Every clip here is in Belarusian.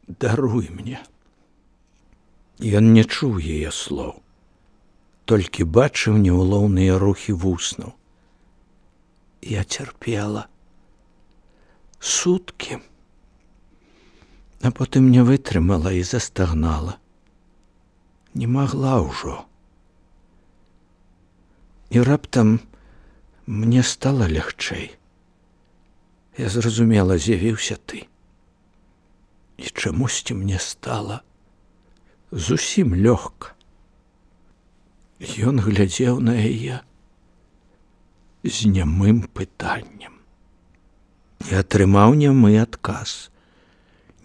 даруй мне. Ён не чуў яе слоў, толькі бачыў няўлоўныя рухі вуснаў. Я цярпела суткі, а потым не вытрымала і застагнала. Не магла ўжо. І раптам мне стала лягчэй. Я зразумела, з'явіўся ты. І чамусьці мне стала зусім лёгка. Ён глядзеў на яе з нямым пытаннем і атрымаў нямы адказ.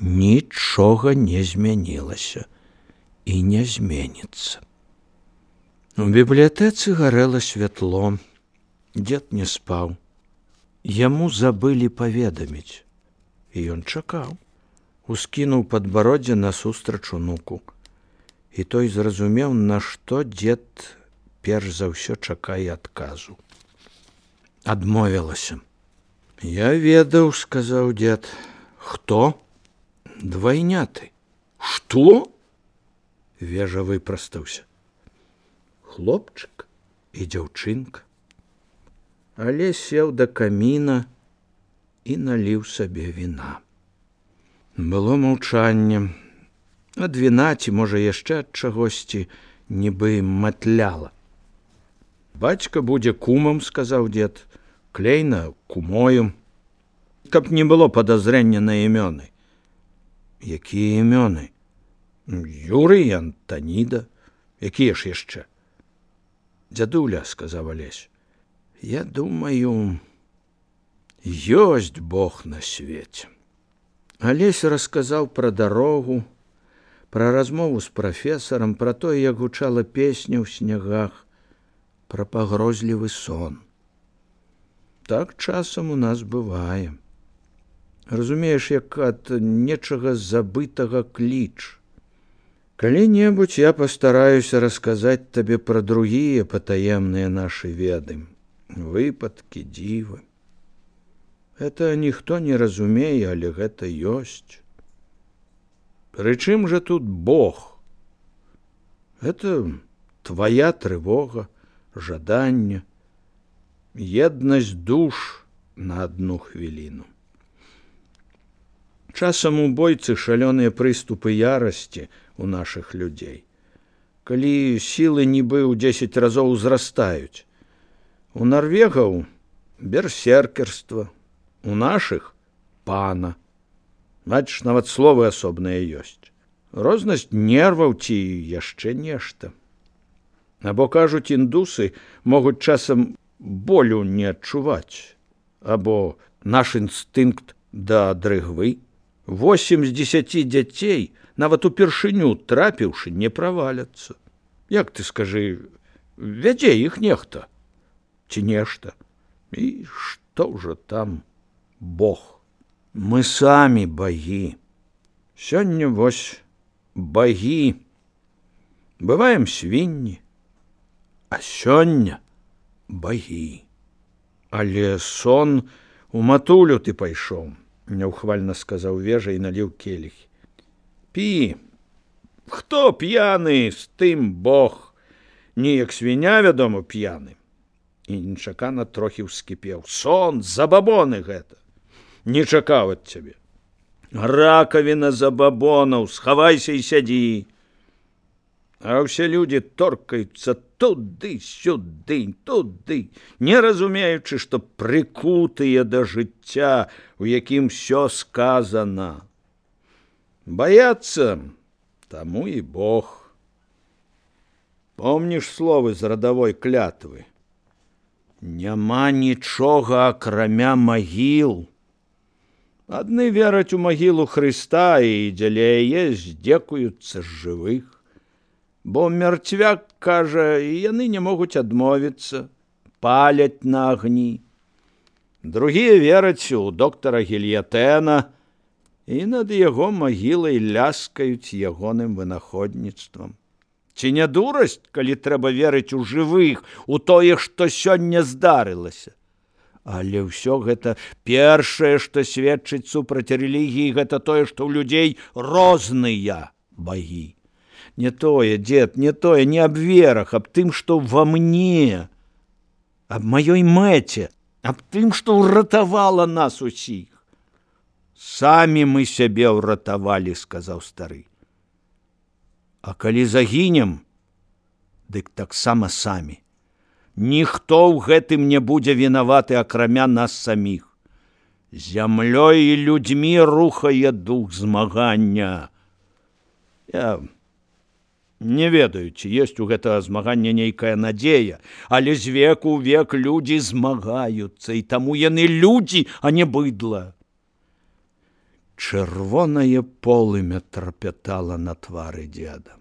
Нічога не змянілася і не зменіцца. У бібліятэцы гарэла святло. Дзед не спаў. Яму забылі паведаміць. І ён чакаў. Ускінуў падбароддзе насустрач унуку. І той зразумеў, на што дзед перш за ўсё чакае адказу. Адмовілася. Я ведаў, сказаў дзед. Хто? Двайняты. Што? Вежа выпрастаўся. Хлопчык і дзяўчынка. Але сеў да каміна і наліў сабе віна. Было маўчанне. Ад віна, ці, можа, яшчэ ад чагосьці, нібы матляла. Бацька будзе кумам, сказаў дзед, Клейна кумою. Каб не было падазрення на імёны. Якія імёны? Юрый і Антаніда. Якія ж яшчэ? Дзядуля, сказаў Алесь, я думаю, ёсць Бог на свеце. Алесь расказаў пра дарогу, пра размову з прафесарам, пра тое, як гучала песня ў снягах, пра пагрозлівы сон. Так часам у нас бывае. Разумееш, як ад нечага забытага кліч. Калі-небудзь я пастараюся расказаць табе пра другія патаемныя нашы веды, выпадкі, дзівы. Гэта ніхто не разумее, але гэта ёсць. Прычым жа тут Бог? Гэта твая трывога, жаданне, еднасць душ на адну хвіліну. Часам у бойцы шалёныя прыступы ярасці у нашых людзей. Калі сілы нібы ў 10 разоў узрастаюць. У нарвегаў берсеркерства, у нашых пана. Значыць, нават словы асобныя ёсць. Рознасць нерваў ці яшчэ нешта. Або, кажуць, індусы могуць часам болю не адчуваць. Або наш інстынкт да дрыгвы. 8 з 10 дзяцей, нават упершыню трапіўшы, не праваляцца. Як ты скажы, вядзе іх нехта? Ці нешта? І што ўжо там Бог? Мы самі багі. Сёння вось багі. Бываем свінні, а сёння багі. Але сон у матулю ты пайшоў. Няўхвальна сказаў Вежа і наліў келіх. Пі. Хто п'яны, з тым Бог. Неяк свіня, вядома, п'яны. І нечакана трохі ўскіпеў. Сон, забабоны гэта. Не чакаў ад цябе. Ракавіна забабонаў, схавайся і сядзі. А ўсе людзі торкаюцца туды-сюды, туды, не разумеючы, што прыкутыя да жыцця, у якім всё сказана. Баяцца, таму і Бог. Помніш словы з радавой клятвы? Няма нічога, акрамя магіл. Адны вераць у магілу Хрыста і дзеля яе здзекуюцца з жывых. Бо мертвяк, кажа, яны не могуць адмовіцца, паляць на агні. Другія вераць у доктара Гільятэна і над яго магілай ляскаюць ягоным вынаходніцтвам. Ці не дурасць, калі трэба верыць у жывых, у тое, што сёння здарылася? Але ўсё гэта першае, што сведчыць супраць рэлігіі, гэта тое, што ў людзей розныя багі. Не тое, дзед, не тое, не аб верах, аб тым, што ва мне, аб маёй мэце, аб тым, што ўратавала нас усіх. Самі мы сябе ўратавалі, сказаў стары. А калі загінем, дык таксама самі. Ніхто ў гэтым не будзе вінаваты, акрамя нас саміх. Зямлёй і людзьмі рухае дух змагання. Я не ведаю, ці ёсць у гэтага змагання нейкая надзея, але з веку ў век людзі змагаюцца, і таму яны людзі, а не быдла. Чырвонае полымя трапятала на твары дзеда.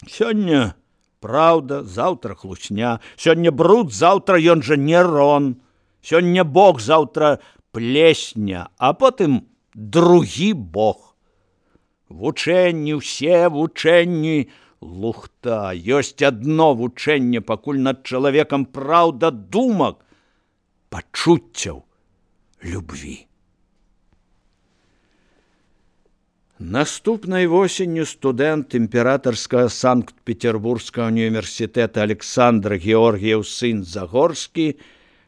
Сёння праўда, заўтра хлусня, сёння бруд, заўтра ён жа Нерон, сёння Бог, заўтра плесня, а потым другі Бог. Вучэнні, усе вучэнні, лухта, ёсць адно вучэнне, пакуль над чалавекам праўда думак, пачуццяў, любві. Наступнай восенню студэнт імператарскага Санкт-Петербургскага універсітэта Александр Георгіеў сын Загорскі,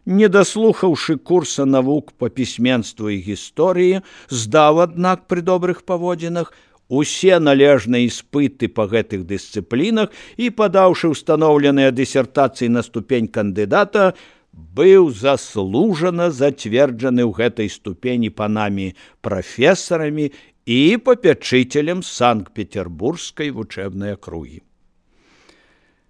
не даслухаўшы курса навук па пісьменству і гісторыі, здаў, аднак, пры добрых паводзінах усе належныя іспыты па гэтых дысцыплінах і, падаўшы ўстаноўленыя дысертацыі на ступень кандыдата, быў заслужана зацверджаны ў гэтай ступені панамі прафесарамі і папячыцелем Санкт-Петербургскай вучэбнай акругі.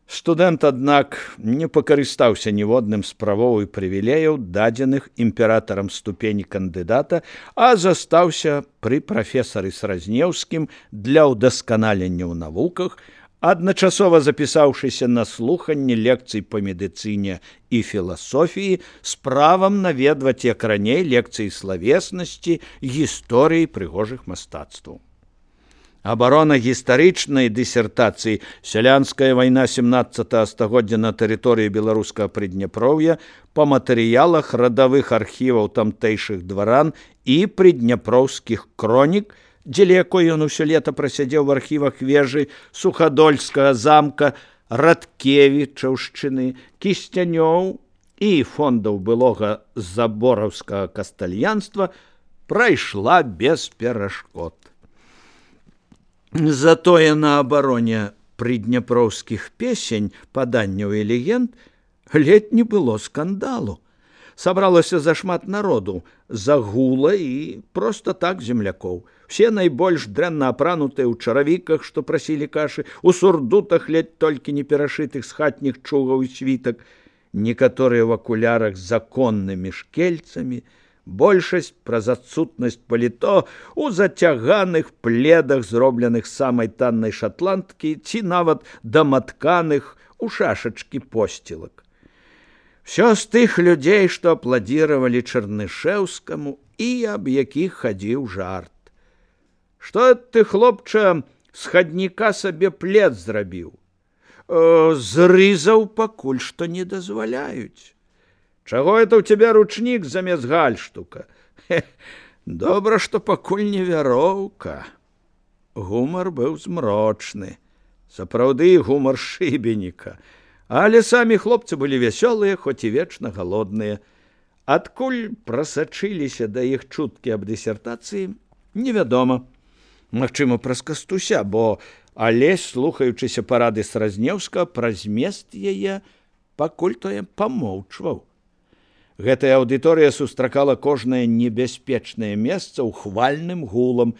Студэнт, аднак, не пакарыстаўся ніводным з правоў і прывілеяў, дадзеных імператарам ступені кандыдата, а застаўся пры прафесары Сразнеўскім для ўдасканалення ў навуках, адначасова запісаўшыся на слуханне лекцый па медыцыне і філасофіі з правам наведваць, як раней, лекцыі славеснасці, гісторыі прыгожых мастацтваў. Абарона гістарычнай дысертацыі «Сялянская вайна 17 стагоддзя на тэрыторыі беларускага Прыдняпроўя» па матэрыялах радавых архіваў тамтэйшых дваран і прыдняпроўскіх кронік, дзеля якой ён усё лета прасядзеў в архівах вежы Сухадольскага замка, Радкевічаўшчыны, Кісцянёў і фондаў былога забораўскага кастальянства, прайшла без перашкод. Затое на абароне прыдняпроўскіх песень, паданняў і легенд ледзь не было скандалу. Сабралася зашмат народу, загула і проста так землякоў. Все найбольш дрэнна апранутыя ў чаравіках, што прасілі кашы, у сурдутах ледь толькі не перашытых з хатніх чугаў і світак, некаторыя в акулярах з законнымі шкельцамі, большасць праз адсутнасць паліто у зацяганых пледах, зробленых самай таннай шатландкі, ці нават даматканых у шашачкі посцілак. Всё з тых людзей, што апладзіравалі Чарнышэўскаму і аб якіх хадзіў жарт. Што ты, хлопча, з хадніка сабе плед зрабіў? Зрызаў, пакуль што не дазваляюць. Чаго это ў цябе ручнік замест гальштука? Добра, што пакуль не вяроўка. Гумар быў змрочны. Сапраўды гумар шыбеніка. Але самі хлопцы былі вясёлыя, хоць і вечна галодныя. Адкуль прасачыліся да іх чуткі аб дысертацыі, невядома. Магчыма, праз Кастуся, бо Алесь, слухаючыся парады Сразнеўскага, пра змест яе пакуль тое памоўчваў. Гэтая аўдыторыя сустракала кожнае небяспечнае месца ўхвальным гулам,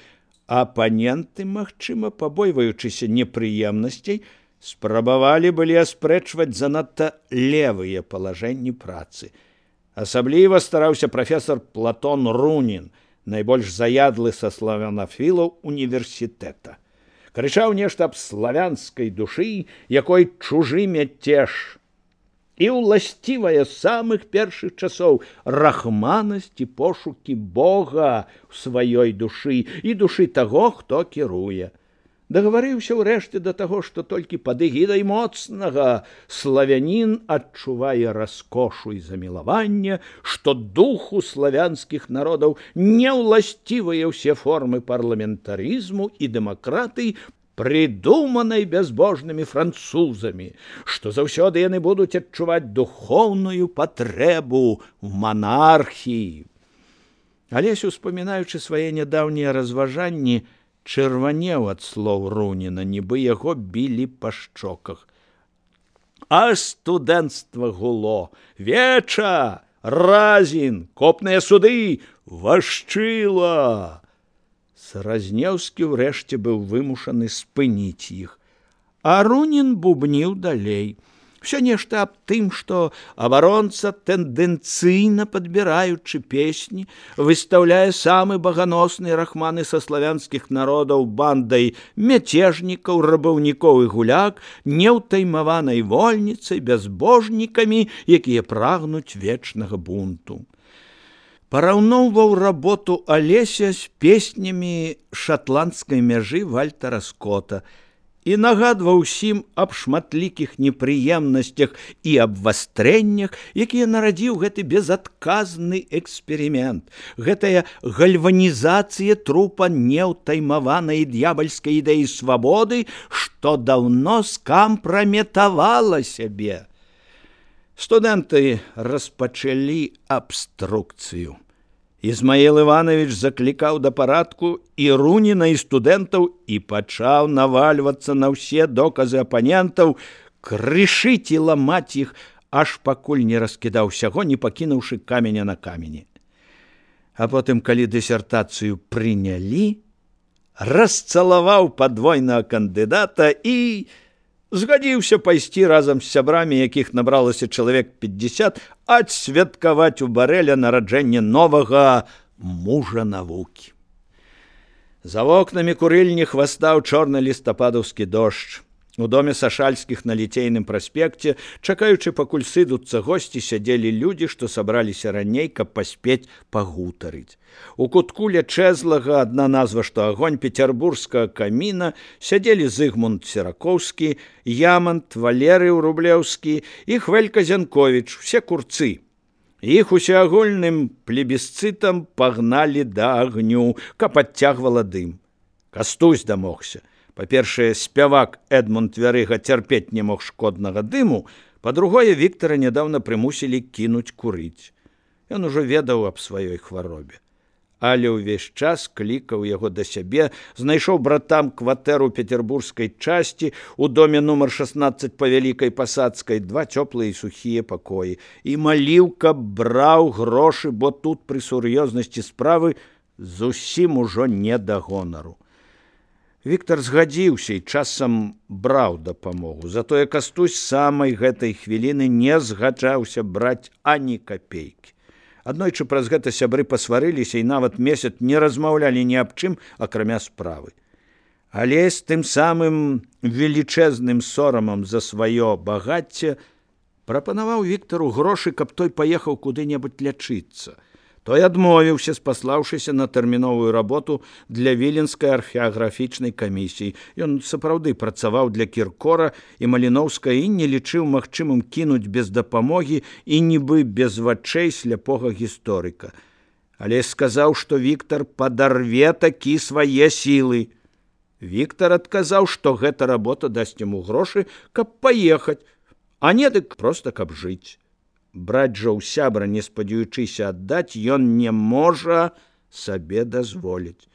а апаненты, магчыма, пабойваючыся непрыемнасцей, спрабавалі былі аспрэчваць занадта левыя палажэнні працы. Асабліва стараўся прафесор Платон Рунін, найбольш заядлы са славянафілаў універсітэта. Крычаў нешта аб славянскай душы, якой чужы мяцеж, і ўласцівая з самых першых часоў рахманасць і пошукі Бога ў сваёй душы і душы таго, хто кіруе. Дагаварыўся ўрэшце да таго, што толькі пад эгідай моцнага славянін адчувае раскошу і замілаванне, што духу славянскіх народаў не ўласцівыя ўсе формы парламентарызму і дэмакратыі, прыдуманай бязбожнымі французамі, што заўсёды яны будуць адчуваць духоўную патрэбу в манархіі. Алесь, успамінаючы свае нядаўнія разважанні, чырванеў ад слоў Руніна, нібы яго білі па шчоках. А студэнцтва гуло: веча, разін, копныя суды, вашчыла. Саразнеўскі ўрэшце быў вымушаны спыніць іх, а Рунін бубніў далей. Все нешта аб тым, што абаронца, тэндэнцыйна падбіраючы песні, выстаўляе самы баганосны рахманы са славянскіх народаў бандай мяцежнікаў, рабаўнікоў і гуляк, неўтаймаванай вольніцай, бязбожнікамі, якія прагнуць вечнага бунту. Параўноўваў работу Алеся з песнямі шатландскай мяжы Вальтера Скотта і нагадваў усім аб шматлікіх непрыемнасцях і абвастрэннях, якія нарадзіў гэты безадказны эксперымент, гэтая гальванізацыя трупа неўтаймаванай д'ябальскай ідэі свабоды, што даўно скампраметавала сябе. Студэнты распачалі абструкцыю. Ізмаіл Іванович заклікаў да парадку і Руніна, і студэнтаў, і пачаў навальвацца на ўсе доказы апанентаў, крышыць і ламаць іх, аж пакуль не раскідаў усяго, не пакінуўшы каменя на камені. А потым, калі дысертацыю прынялі, расцалаваў падвойнага кандыдата і згадзіўся пайсці разам з сябрамі, якіх набралася чалавек 50, адсвяткаваць у Барэля нараджэнне новага мужа навукі. За вокнамі курыльні хвастаў чорны лістападаўскі дождж. У доме Сашальскіх на Ліцейным праспекце, чакаючы, пакуль сыдуцца госці, сядзелі людзі, што сабраліся раней, каб паспець пагутарыць. У кутку ля чэзлага, адна назва, што агонь, пецярбургскага каміна, сядзелі Зыгмунд Серакоўскі, Ямант, Валерый Рублеўскі і Хвелька Зянковіч, усе курцы. Іх усеагульным плебісцытам пагналі да агню, каб адцягвала дым. Кастусь дамогся. Па-першае, спявак Эдмунд Вярыга цярпець не мог шкоднага дыму, па-другое, Віктара нядаўна прымусілі кінуць курыць. Ён ужо ведаў аб сваёй хваробе. Але ўвесь час клікаў яго да сябе, знайшоў братам кватэру петербургскай часці у доме нумар 16 па Вялікай Пасадскай, 2 цёплыя і сухія пакоі, і маліў, каб браў грошы, бо тут пры сур'ёзнасці справы зусім ужо не да гонару. Віктар згадзіўся і часам браў дапамогу, затое Кастусь самай гэтай хвіліны не згаджаўся браць ані капейкі. Аднойчы праз гэта сябры пасварыліся і нават месяц не размаўлялі ні аб чым, акрамя справы. Але з тым самым велічэзным сорамам за сваё багацце прапанаваў Віктару грошы, каб той паехаў куды-небудзь лячыцца. Той адмовіўся, спаслаўшыся на тэрміновую работу для віленскай археаграфічнай камісіі. Ён сапраўды працаваў для Кіркора і Маліноўскага і не лічыў магчымым кінуць без дапамогі і нібы без вачэй сляпога гісторыка. Але сказаў, што Віктар падарве такі свае сілы. Віктар адказаў, што гэта работа дасць яму грошы, каб паехаць, а не дык проста каб жыць. Браць жа ў сябра, не спадзяючыся аддаць, ён не можа сабе дазволіць.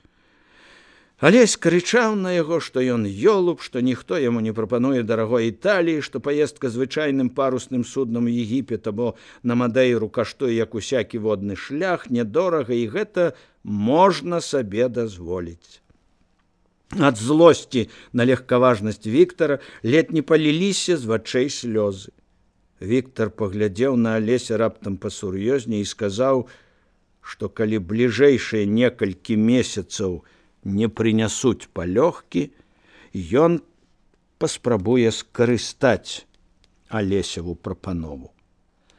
Алесь крычаў на яго, што ён ёлуб, што ніхто яму не прапануе дарагой Італіі, што паездка звычайным парусным суднам у Егіпет або на Мадэйру каштуе, як усякі водны шлях, нядорага, і гэта можна сабе дазволіць. Ад злосці на легкаважнасць Віктара ледь не паліліся з вачэй слёзы. Віктар паглядзеў на Алеся раптам пасур'ёзней і сказаў, што калі бліжэйшыя некалькі месяцаў не прынясуць палёгкі, ён паспрабуе скарыстаць Алесеву прапанову.